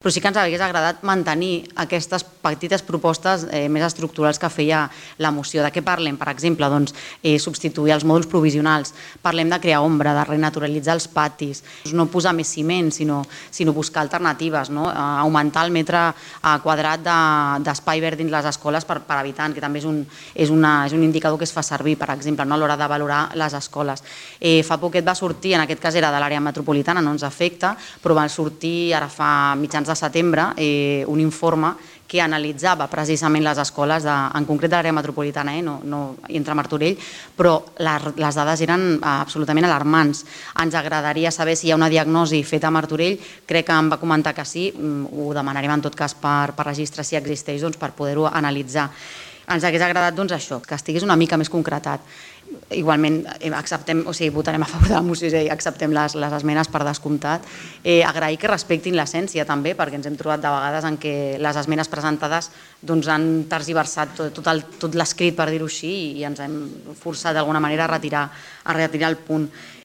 Però sí que ens hauria agradat mantenir aquestes petites propostes més estructurals que feia la moció. De què parlem? Per exemple, substituir els mòduls provisionals. Parlem de crear ombra, de renaturalitzar els patis, no posar més ciment, sinó buscar alternatives, augmentar el metre quadrat d'espai verd dins les escoles per habitant, que també és un indicador que es fa servir, per exemple, a l'hora de valorar les escoles. Fa poquet va sortir, en aquest cas era de l'àrea metropolitana, no ens afecta, però va sortir ara fa mitjans de setembre un informe que analitzava precisament les escoles, en concret de l'àrea metropolitana, no entre Martorell, però les dades eren absolutament alarmants. Ens agradaria saber si hi ha una diagnosi feta a Martorell, crec que em va comentar que sí, ho demanarem en tot cas per registre si existeix per poder-ho analitzar. Ens hauria agradat això, que estigués una mica més concretat. Igualment, votarem a favor de la moció i acceptem les esmenes per descomptat. Agrair que respectin l'essència també, perquè ens hem trobat de vegades en què les esmenes presentades han tergiversat tot l'escrit, per dir-ho així, i ens hem forçat d'alguna manera a retirar el punt.